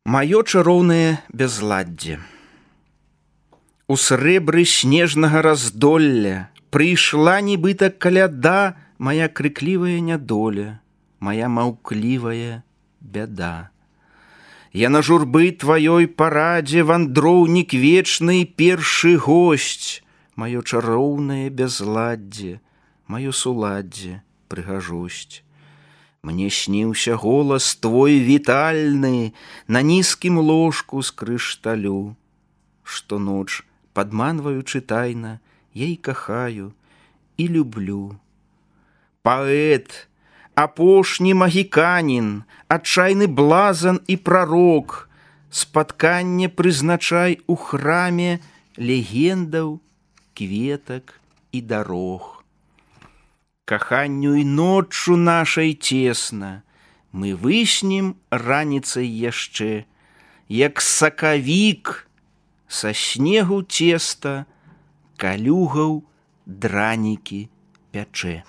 Маё чароўнае бязладдзе. У срэбры снежнага раздолля прыйшла нібыта каляда моя крыклівая нядоля, моя маўклівая бяда. Я на журбы тваёй парадзе вандроўнік вечны, першы госць, маё чароўнае бязладдзе, маё суладдзе, прыгажосць. Мне сніўся голас твой вітальны на нізкім ложку з крышталю. Штоноч, падманваючы тайна, я і кахаю, і люблю. Паэт, апошні магіканін, адчайны блазан і прарок, спатканне прызначай у храме легендаў, кветак і дарог. Каханню і ноччу нашай цесна, мы выснем раніцай яшчэ, як сакавік са снегу цеста, калюгаў дранікі пячэ.